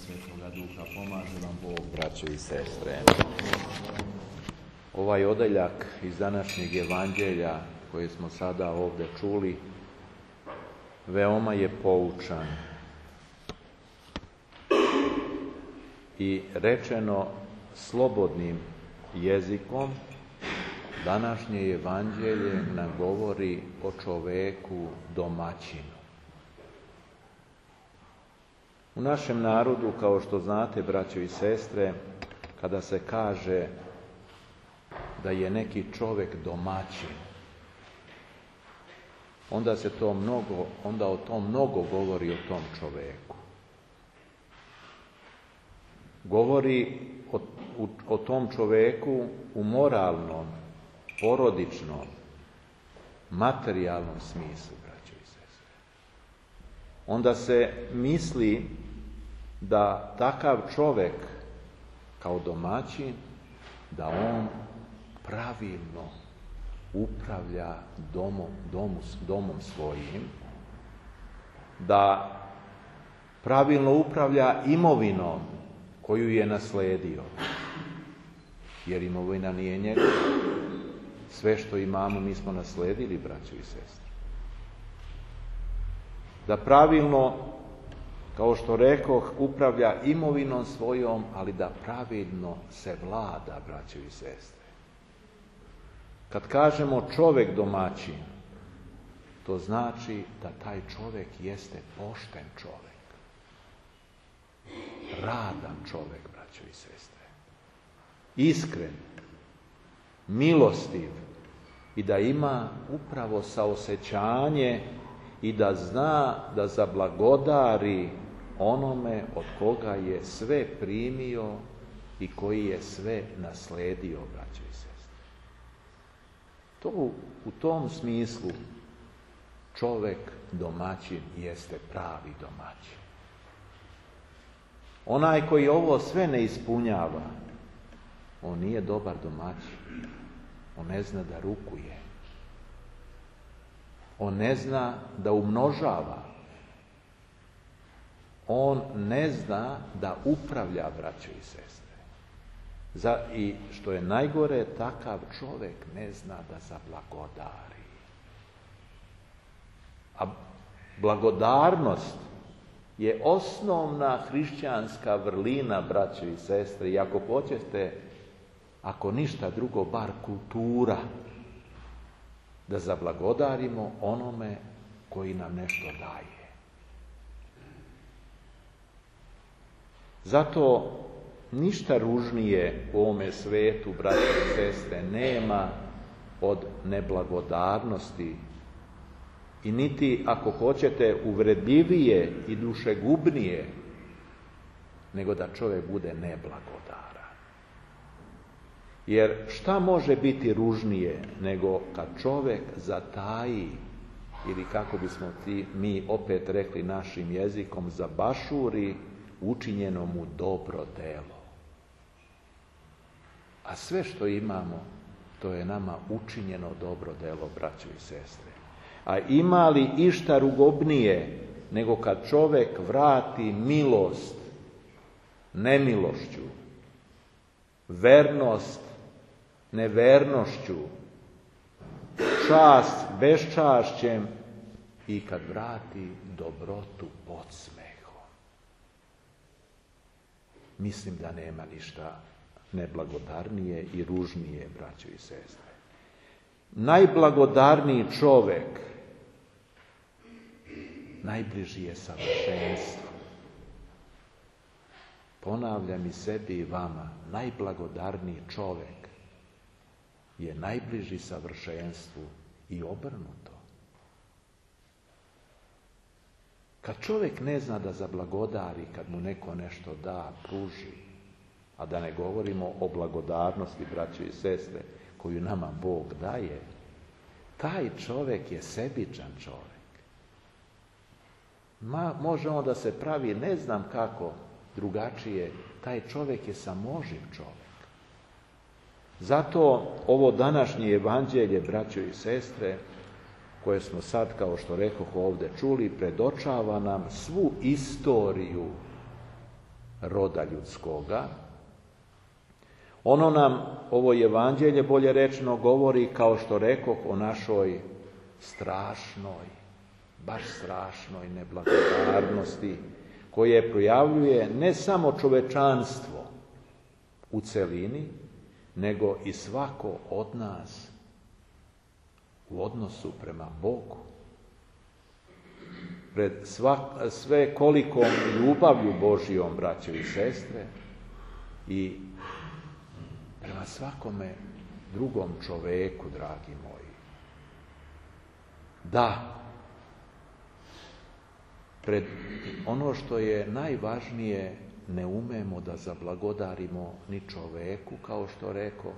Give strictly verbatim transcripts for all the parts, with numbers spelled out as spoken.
Svetoga Duha. Pomaže vam Bog, braćo i sestre. Ovaj odeljak iz današnjeg evanđelja koje smo sada ovdje čuli veoma je poučan i rečeno slobodnim jezikom. Današnje evanđelje nam govori o čoveku domaćinu. U našem narodu, kao što znate, braćo i sestre, kada se kaže da je neki čovjek domaćin, onda se to mnogo, onda o tom mnogo govori o tom čovjeku. Govori o, o, o tom čovjeku u moralnom, porodičnom, materijalnom smislu, braćo i sestre. Onda se misli da takav čovjek kao domaćin, da on pravilno upravlja domom, domu, domom svojim, da pravilno upravlja imovinom koju je nasledio. Jer imovina nije njegova. Sve što imamo mi smo nasledili, braćo i sestre. Da pravilno, kao što rekoh, upravlja imovinom svojom, ali da pravilno se vlada, braćo i sestre. Kad kažemo čovjek domaćin, to znači da taj čovjek jeste pošten čovjek. Radan čovjek, braćo i sestre. Iskren, milostiv i da ima upravo saosećanje i da zna da zablagodari onome od koga je sve primio i koji je sve nasledio, braćo i sestre. To u, u tom smislu čovjek domaćin jeste pravi domaćin. Onaj koji ovo sve ne ispunjava, on nije dobar domaćin. On ne zna da rukuje. On ne zna da umnožava. On ne zna da upravlja, braćo i sestre. Za, I što je najgore, takav čovjek ne zna da zablagodari. A blagodarnost je osnovna hrišćanska vrlina, braćo i sestre. I ako hoćete, ako ništa drugo, bar kultura, da zablagodarimo onome koji nam nešto daje. Zato ništa ružnije u ovome svetu, braće i sestre, nema od neblagodarnosti i niti, ako hoćete, uvredljivije i dušegubnije nego da čovjek bude neblagodaran. Jer šta može biti ružnije nego kad čovjek zataji, ili kako bismo ti, mi opet rekli našim jezikom, zabašuri učinjeno mu dobro delo. A sve što imamo, to je nama učinjeno dobro delo, braćo i sestre. A ima li išta rugobnije nego kad čovjek vrati milost nemilošću, vernost nevernošću, čast beščašćem i kad vrati dobrotu podsmehom. Mislim da nema ništa neblagodarnije i ružnije, braćo i sestre. Najblagodarniji čovjek najbliži je savršenstvu. Ponavljam i sebi i vama, najblagodarniji čovjek je najbliži savršenstvu i obrnuto. Kad čovjek ne zna da zablagodari, kad mu neko nešto da, pruži, a da ne govorimo o blagodarnosti, braće i sestre, koju nama Bog daje, taj čovjek je sebičan čovjek. Ma, može on da se pravi, ne znam kako drugačije, taj čovjek je samoživ čovjek. Zato ovo današnje evanđelje, braćo i sestre, koje smo sad, kao što rekoh, ovdje čuli, predočava nam svu istoriju roda ljudskoga. Ono nam, ovo evanđelje, bolje rečeno, govori, kao što rekoh, o našoj strašnoj, baš strašnoj neblagodarnosti, koje projavljuje ne samo čovečanstvo u celini, nego i svako od nas u odnosu prema Bogu. Pred svak, sve kolikom ljubavlju Božijom, braćo i sestre, i prema svakome drugom čoveku, dragi moji. Da, pred ono što je najvažnije, ne umemo da zablagodarimo ni čoveku, kao što rekoh,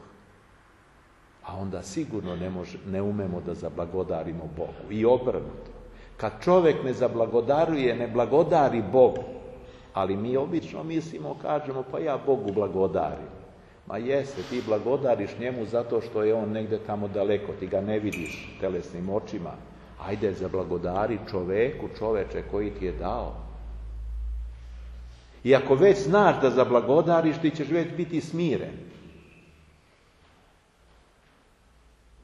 a onda sigurno ne, može, ne umemo da zablagodarimo Bogu. I obrnuto. Kad čovjek ne zablagodaruje, ne blagodari Bogu, ali mi obično mislimo, kažemo, pa ja Bogu blagodarim. Ma jeste, ti blagodariš njemu zato što je on negdje tamo daleko, ti ga ne vidiš telesnim očima. Ajde, zablagodari čoveku, čoveče koji ti je dao. I ako već znaš da zablagodariš, ti ćeš već biti smiren.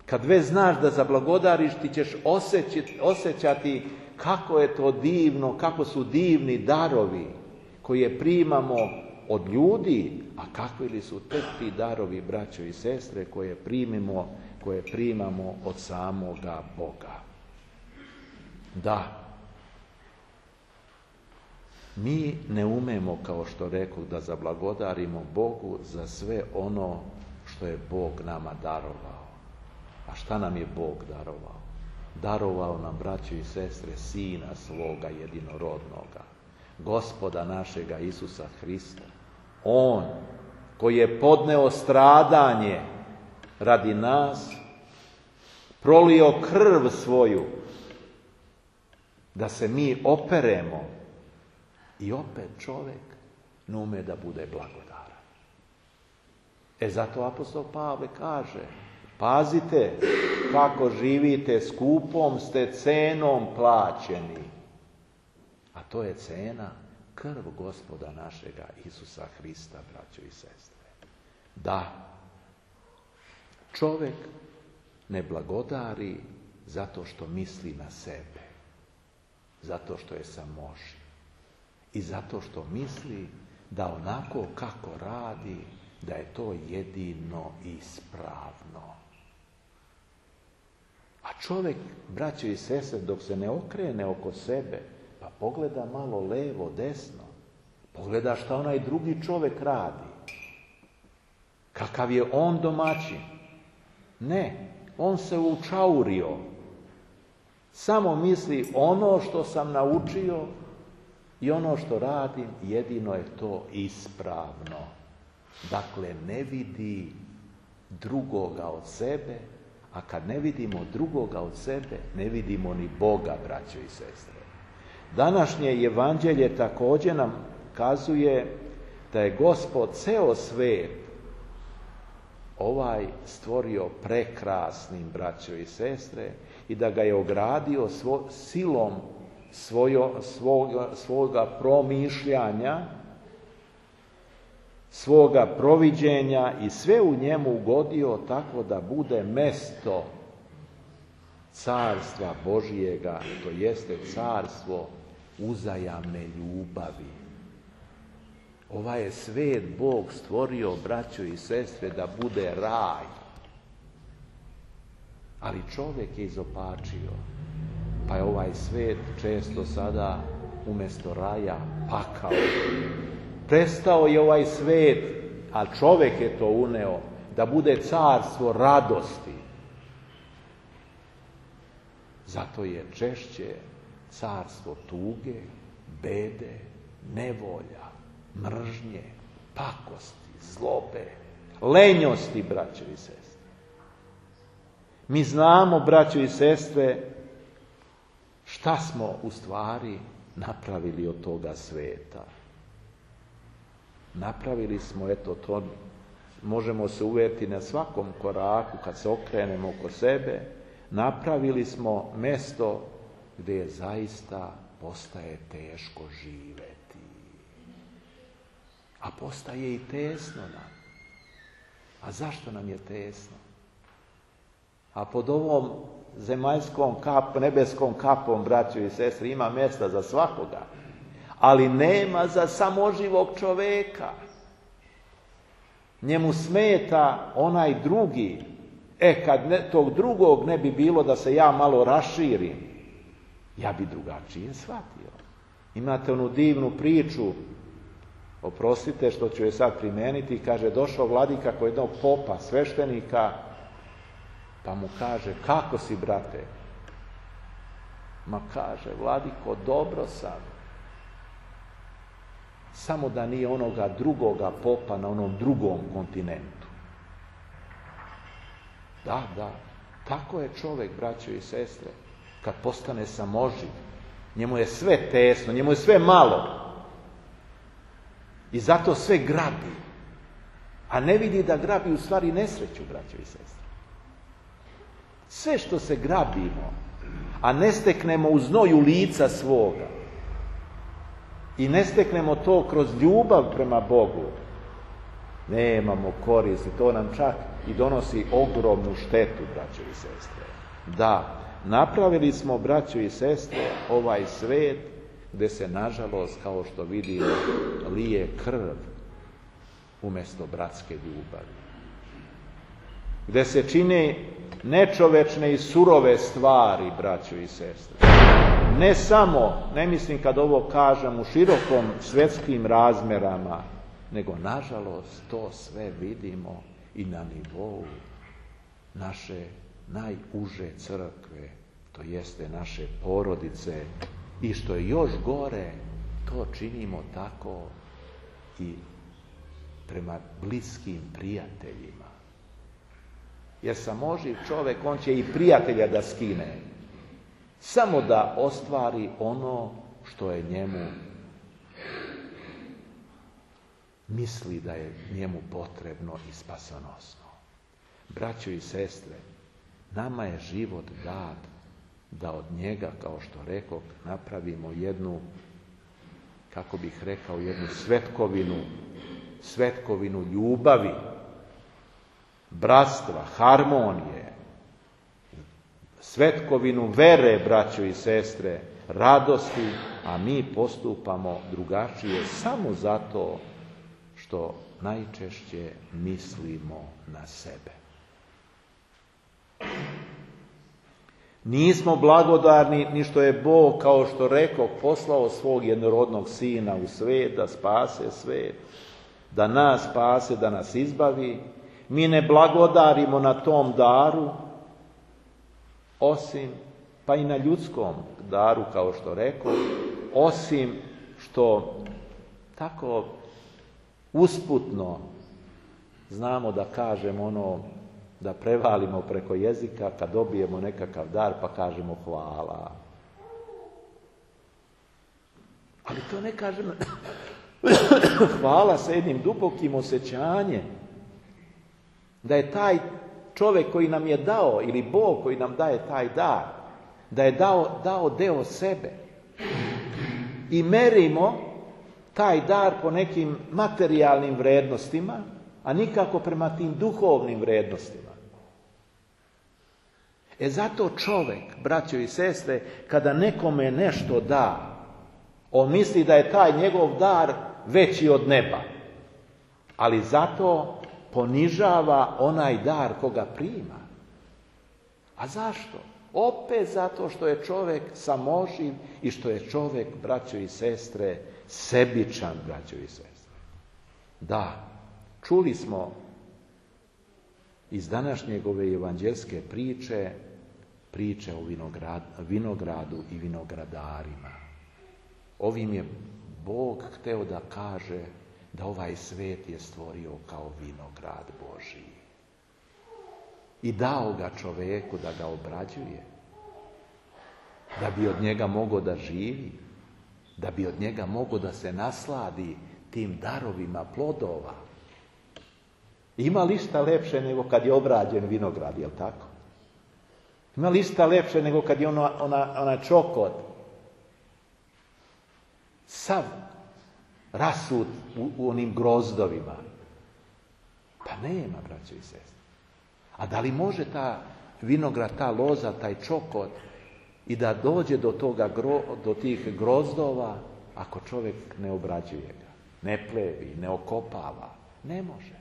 Kad već znaš da zablagodariš, ti ćeš osjećati, osjećati kako je to divno, kako su divni darovi koje primamo od ljudi, a kakvi li su tek ti darovi, braćo i sestre, koje primimo, koje primamo od samoga Boga. Da, mi ne umemo, kao što rekoh, da zablagodarimo Bogu za sve ono što je Bog nama darovao. A šta nam je Bog darovao? Darovao nam, braćo i sestre, Sina svoga jedinorodnoga, Gospoda našega Isusa Hrista. On koji je podneo stradanje radi nas, prolio krv svoju, da se mi operemo, i opet čovjek ne ume da bude blagodaran. E zato apostol Pavle kaže, pazite kako živite, skupom ste cenom plaćeni. A to je cena, krv Gospoda našega Isusa Hrista, braćo i sestre. Da, čovjek ne blagodari zato što misli na sebe, zato što je samoši i zato što misli da onako kako radi, da je to jedino ispravno. A čovjek, braćo i sestre, dok se ne okrene oko sebe, pa pogleda malo levo, desno, pogleda šta onaj drugi čovjek radi, kakav je on domaćin. Ne, on se učaurio. Samo misli, ono što sam naučio i ono što radim, jedino je to ispravno. Dakle, ne vidi drugoga od sebe, a kad ne vidimo drugoga od sebe, ne vidimo ni Boga, braćo i sestre. Današnje evanđelje također nam kazuje da je Gospod ceo svet ovaj stvorio prekrasnim, braćo i sestre, i da ga je ogradio svo, silom svojo, svoga, svoga promišljanja, svoga proviđenja, i sve u njemu ugodio tako da bude mesto carstva Božijega, to jeste carstvo uzajamne ljubavi. Ovaj je svet Bog stvorio, braćo i sestre, da bude raj. Ali čovjek je izopačio, pa je ovaj svet često sada umjesto raja pakao. Prestao je ovaj svet, a čovjek je to uneo, da bude carstvo radosti. Zato je češće carstvo tuge, bede, nevolja, mržnje, pakosti, zlobe, lenjosti, braćo i sestre. Mi znamo, braćo i sestre, šta smo u stvari napravili od toga sveta. Napravili smo, eto, to možemo se uvjeriti na svakom koraku kad se okrenemo oko sebe, napravili smo mesto gdje je zaista postaje teško živeti. a postaje i tesno nam. A zašto nam je tesno? A pod ovom zemaljskom kap, nebeskom kapom, braćo i sestre, ima mjesta za svakoga, ali nema za samoživog čovjeka. Njemu smeta onaj drugi. E, kad ne, tog drugog ne bi bilo da se ja malo raširim, ja bi drugačije shvatio. Imate onu divnu priču, oprostite što ću je sad primeniti, kaže, došao vladika kod jednog popa, sveštenika, pa mu kaže, kako si, brate? Ma kaže, vladiko, dobro sam. Samo da nije onoga drugoga popa na onom drugom kontinentu. Da, da, tako je čovjek, braćo i sestre, kad postane samoživ. Njemu je sve tesno, njemu je sve malo. I zato sve grabi. A ne vidi da grabi u stvari nesreću, braćo i sestre. Sve što se grabimo, a ne steknemo u znoju lica svoga i ne steknemo to kroz ljubav prema Bogu, nemamo koristi. To nam čak i donosi ogromnu štetu, braćo i sestre. Da, napravili smo, braćo i sestre, ovaj svet gdje se, nažalost, kao što vidimo, lije krv umjesto bratske ljubavi. Gdje se čine nečovečne i surove stvari, braćo i sestre. Ne samo, ne mislim kad ovo kažem u širokom svjetskim razmerama, nego, nažalost, to sve vidimo i na nivou naše najuže crkve, to jeste naše porodice, i što je još gore, to činimo tako i prema bliskim prijateljima. Jer samoživ čovjek, on će i prijatelja da skine, samo da ostvari ono što je njemu, misli da je njemu potrebno i spasonosno. Braćo i sestre, nama je život dat da od njega, kao što rekao, napravimo jednu, kako bih rekao, jednu svetkovinu, svetkovinu ljubavi, bratstva, harmonije, svetkovinu vere, braćo i sestre, radosti, a mi postupamo drugačije samo zato što najčešće mislimo na sebe. Nismo blagodarni ni što je Bog, kao što rekao, poslao svog jednorodnog sina u svijet da spase svijet, da nas spase, da nas izbavi. Mi ne blagodarimo na tom daru, osim, pa i na ljudskom daru, kao što rekao, osim što tako usputno znamo da kažemo ono, da prevalimo preko jezika kad dobijemo nekakav dar pa kažemo hvala. Ali to ne kažemo hvala sa jednim dubokim osjećanjem da je taj čovjek koji nam je dao, ili Bog koji nam daje taj dar, da je dao, dao deo sebe. I merimo taj dar po nekim materijalnim vrednostima, a nikako prema tim duhovnim vrednostima. E zato čovjek, braćo i sestre, kada nekome nešto da, on misli da je taj njegov dar veći od neba. Ali zato ponižava onaj dar koga prima. A zašto? Opet zato što je čovjek samoživ i što je čovjek, braćo i sestre, sebičan, braćo i sestre. Da, čuli smo iz današnjeg ove evanđelske priče, priče o vinograd, vinogradu i vinogradarima. Ovim je Bog hteo da kaže da ovaj svet je stvorio kao vinograd Božji. I dao ga čovjeku da ga obrađuje, da bi od njega mogao da živi, da bi od njega mogao da se nasladi tim darovima plodova. Ima li šta lepše nego kad je obrađen vinograd, jel tako? Ima li šta lepše nego kad je ona, ona, ona čokot sav rasut u, u onim grozdovima. Pa nema, braćo i sestre. A da li može ta vinograd, ta loza, taj čokot i da dođe do, toga, do tih grozdova ako čovjek ne obrađuje ga, ne plevi, ne okopava? Ne može.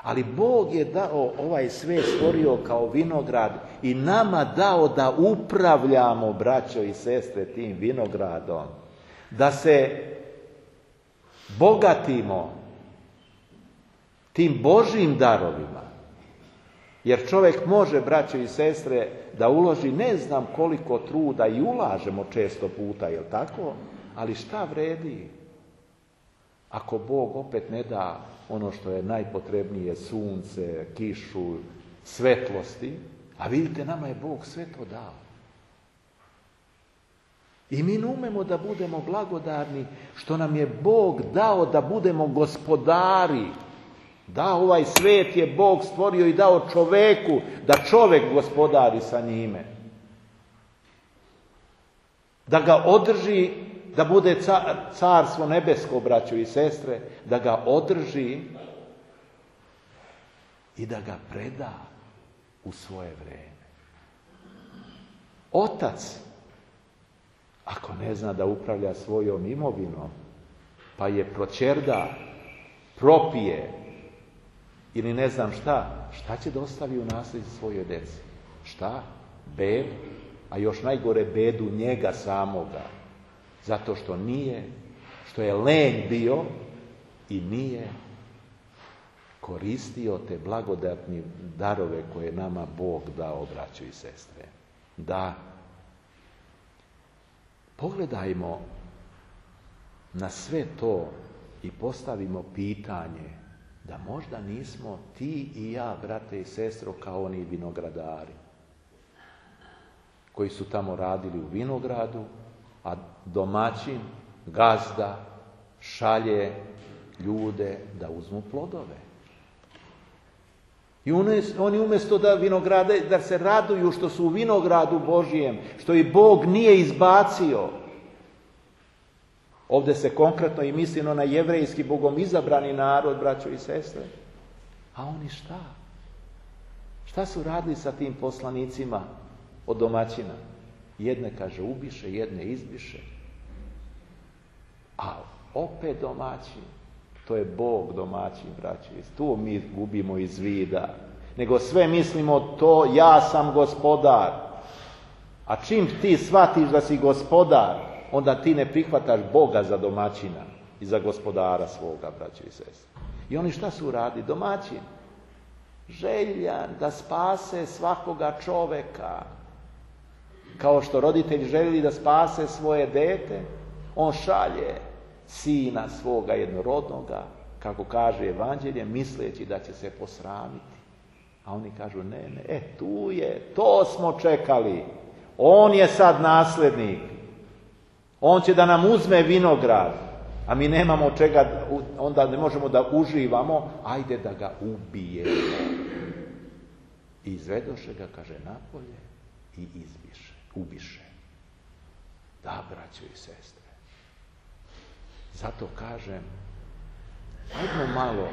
Ali Bog je dao ovaj svijet, stvorio kao vinograd i nama dao da upravljamo, braćo i sestre, tim vinogradom. Da se bogatimo tim Božjim darovima. Jer čovjek može, braćo i sestre, da uloži ne znam koliko truda i ulažemo često puta, jel tako? Ali šta vredi ako Bog opet ne da ono što je najpotrebnije, sunce, kišu, svetlosti? A vidite, nama je Bog sve to dao. I mi ne umemo da budemo blagodarni što nam je Bog dao da budemo gospodari. Da, ovaj svet je Bog stvorio i dao čoveku, da čovek gospodari sa njime. Da ga održi, da bude car, carstvo nebesko, braćo i sestre, da ga održi i da ga preda u svoje vreme. Otac, ako ne zna da upravlja svojom imovinom, pa je proćerda, propije, ili ne znam šta, šta će da ostavi u nasljeđe svojoj deci? Šta? Bedu, a još najgore bedu njega samoga. Zato što nije, što je lenj bio i nije koristio te blagodatne darove koje nama Bog dao, braćo i sestre. Da pogledajmo na sve to i postavimo pitanje da možda nismo ti i ja, brate i sestro, kao oni vinogradari koji su tamo radili u vinogradu, a domaćin, gazda, šalje ljude da uzmu plodove. I oni umjesto da vinograde, da se raduju što su u vinogradu Božijem, što i Bog nije izbacio. Ovdje se konkretno i misli na jevrejski, Bogom izabrani narod, braćo i sestre. A oni šta? Šta su radili sa tim poslanicima od domaćina? Jedne, kaže, ubiše, jedne izbiše. A opet domaćin. To je Bog domaćin, braćo. Tu mi gubimo iz vida. Nego sve mislimo to, ja sam gospodar. A čim ti shvatiš da si gospodar, onda ti ne prihvataš Boga za domaćina i za gospodara svoga, braćo i sestre. I oni šta su radili? Domaćin. Željan da spase svakoga čoveka. Kao što roditelj želi da spase svoje dete, on šalje sina svoga jednorodnoga, kako kaže evanđelje, misleći da će se posramiti. A oni kažu, ne, ne, e, tu je, to smo čekali. On je sad nasljednik. On će da nam uzme vinograd, a mi nemamo čega, onda ne možemo da uživamo, ajde da ga ubijemo. I izvedoše ga, kaže, napolje i izbiše, ubiše. Da, braćo i sestre. Zato kažem, ajmo malo,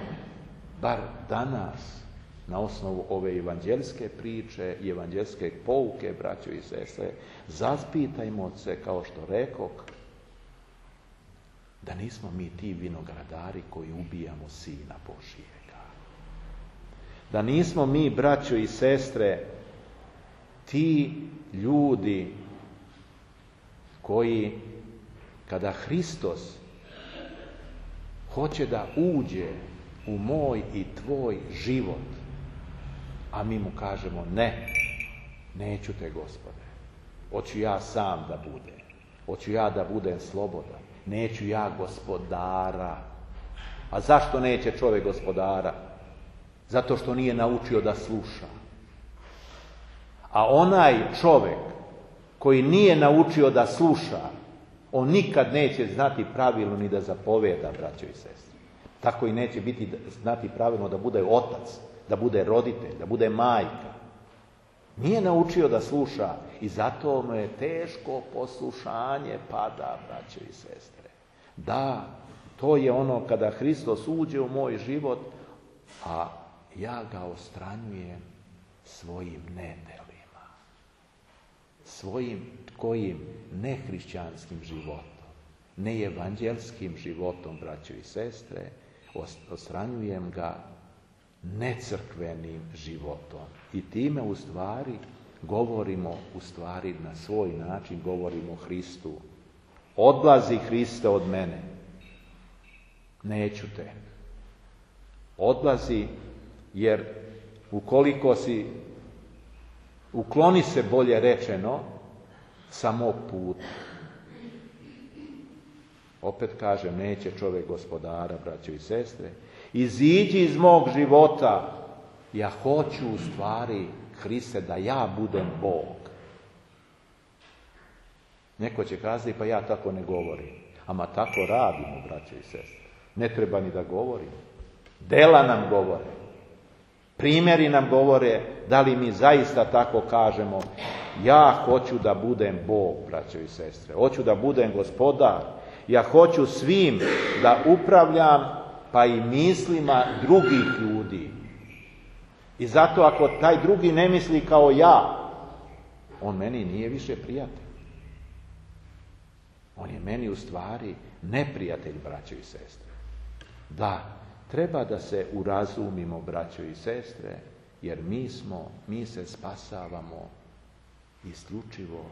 bar danas, na osnovu ove evanđelske priče i evanđelske pouke, braćo i sestre, zaspitajmo se, kao što rekok, da nismo mi ti vinogradari koji ubijamo Sina Božijega. Da nismo mi, braćo i sestre, ti ljudi koji, kada Hristos hoće da uđe u moj i tvoj život, a mi mu kažemo, ne, neću te, Gospode, hoću ja sam da budem, hoću ja da budem slobodan, neću ja gospodara. A zašto neće čovjek gospodara? Zato što nije naučio da sluša. A onaj čovjek koji nije naučio da sluša, on nikad neće znati pravilno ni da zapoveda, braćo i sestre. Tako i neće biti znati pravilno da bude otac, da bude roditelj, da bude majka. Nije naučio da sluša i zato mu je teško poslušanje pada, braćo i sestre. Da, To je ono kada Hristos uđe u moj život, a ja ga ostranjujem svojim nedelima, svojim kojim nehrišćanskim životom, neevanđelskim životom, braćo i sestre, ostranjujem ga necrkvenim životom. I time u stvari govorimo, u stvari na svoj način govorimo o Hristu. Odlazi Hriste od mene, neću te. Odlazi, jer ukoliko si, ukloni se, bolje rečeno, sa mog puta. Opet kažem, neće čovjek gospodara, braćo i sestre. Iziđi iz mog života. Ja hoću u stvari, Hriste, da ja budem Bog. Neko će kazati, pa ja tako ne govorim. Ama tako radimo, braćo i sestre. Ne treba ni da govorim. Dela nam govore. Primjeri nam govore da li mi zaista tako kažemo. Ja hoću da budem Bog, braćo i sestre. Hoću da budem gospodar. Ja hoću svim da upravljam, pa i mislima drugih ljudi. I zato ako taj drugi ne misli kao ja, on meni nije više prijatelj. On je meni u stvari neprijatelj, braćo i sestre. Da, treba da se urazumimo, braćo i sestre, jer mi smo, mi se spasavamo isključivo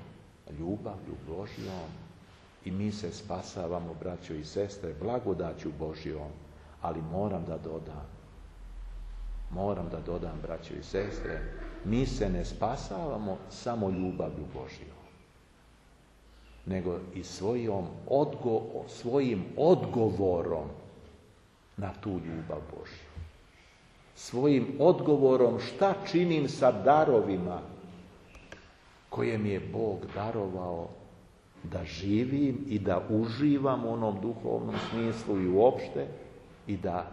ljubavlju Božjom i mi se spasavamo, braćo i sestre, blagodaću Božjom, ali moram da dodam, moram da dodam, braćo i sestre, mi se ne spasavamo samo ljubavlju Božjom, nego i svojom odgo, svojim odgovorom na tu ljubav Božju. Svojim odgovorom šta činim sa darovima koje mi je Bog darovao da živim i da uživam u onom duhovnom smislu i uopšte i da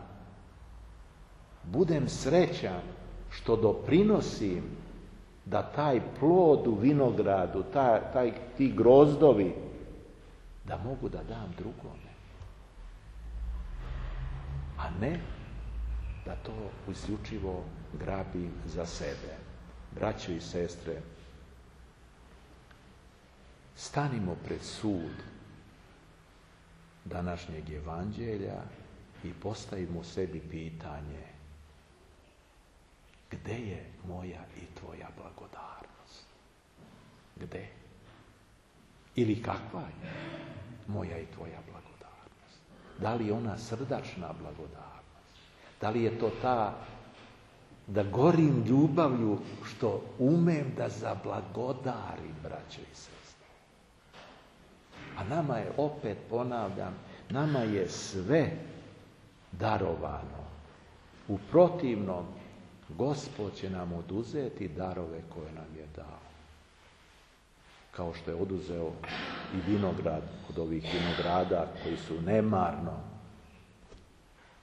budem srećan što doprinosim da taj plod u vinogradu, taj, taj, ti grozdovi, da mogu da dam drugome. A ne da to isključivo grabim za sebe. Braćo i sestre, stanimo pred sud današnjeg evanđelja i postavimo sebi pitanje: gde je moja i tvoja blagodarnost? Gde? Ili kakva je moja i tvoja blagodarnost? Da li je ona srdačna blagodarnost? Da li je to ta da gorim ljubavlju što umem da zablagodarim, braćo i sestre? A nama je, opet ponavljam, nama je sve darovano. U protivnom, Gospod će nam oduzeti darove koje nam je dao. Kao što je oduzeo i vinograd od ovih vinograda koji su nemarno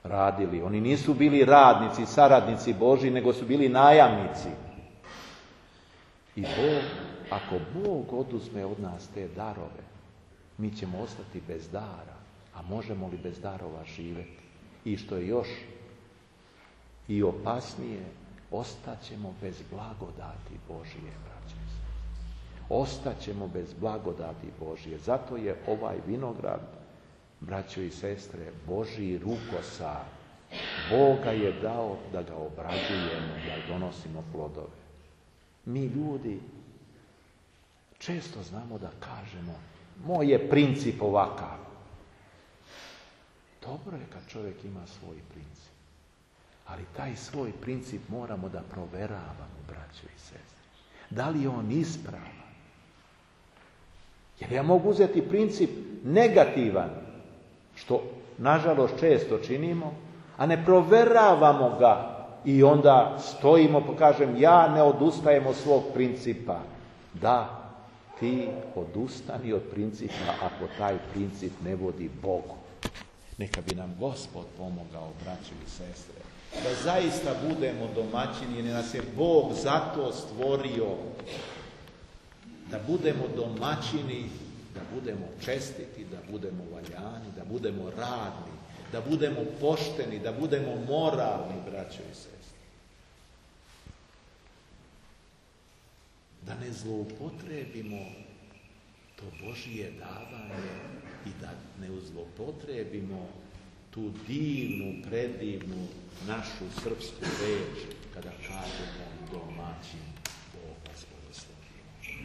radili. Oni nisu bili radnici, saradnici Božji, nego su bili najamnici. I Bog, ako Bog oduzme od nas te darove, mi ćemo ostati bez dara. A možemo li bez darova živjeti? I što je još i opasnije, ostaćemo bez blagodati Božije, braće. Ostaćemo bez blagodati Božije. Zato je ovaj vinograd, braćo i sestre, Božji rukosar. Bog ga je dao da ga obrađujemo, da donosimo plodove. Mi ljudi često znamo da kažemo: moj je princip ovakav. Dobro je kad čovjek ima svoj princip. Ali taj svoj princip moramo da proveravamo, braćo i sestre. Da li je on ispravan? Jer ja mogu uzeti princip negativan, što nažalost često činimo, a ne proveravamo ga i onda stojimo, pa kažem, ja ne odustajem od svog principa. Da, ti odustani od principa ako taj princip ne vodi Bogu. Neka bi nam Gospod pomogao, braćo i sestre, da zaista budemo domaćini, jer nas je Bog zato stvorio, da budemo domaćini, da budemo čestiti, da budemo valjani, da budemo radni, da budemo pošteni, da budemo moralni, braćo i sestre. Da ne zloupotrebimo to Božije davanje i da ne zloupotrebimo tu divnu, predivnu našu srpsku reč kada kažemo domaćin.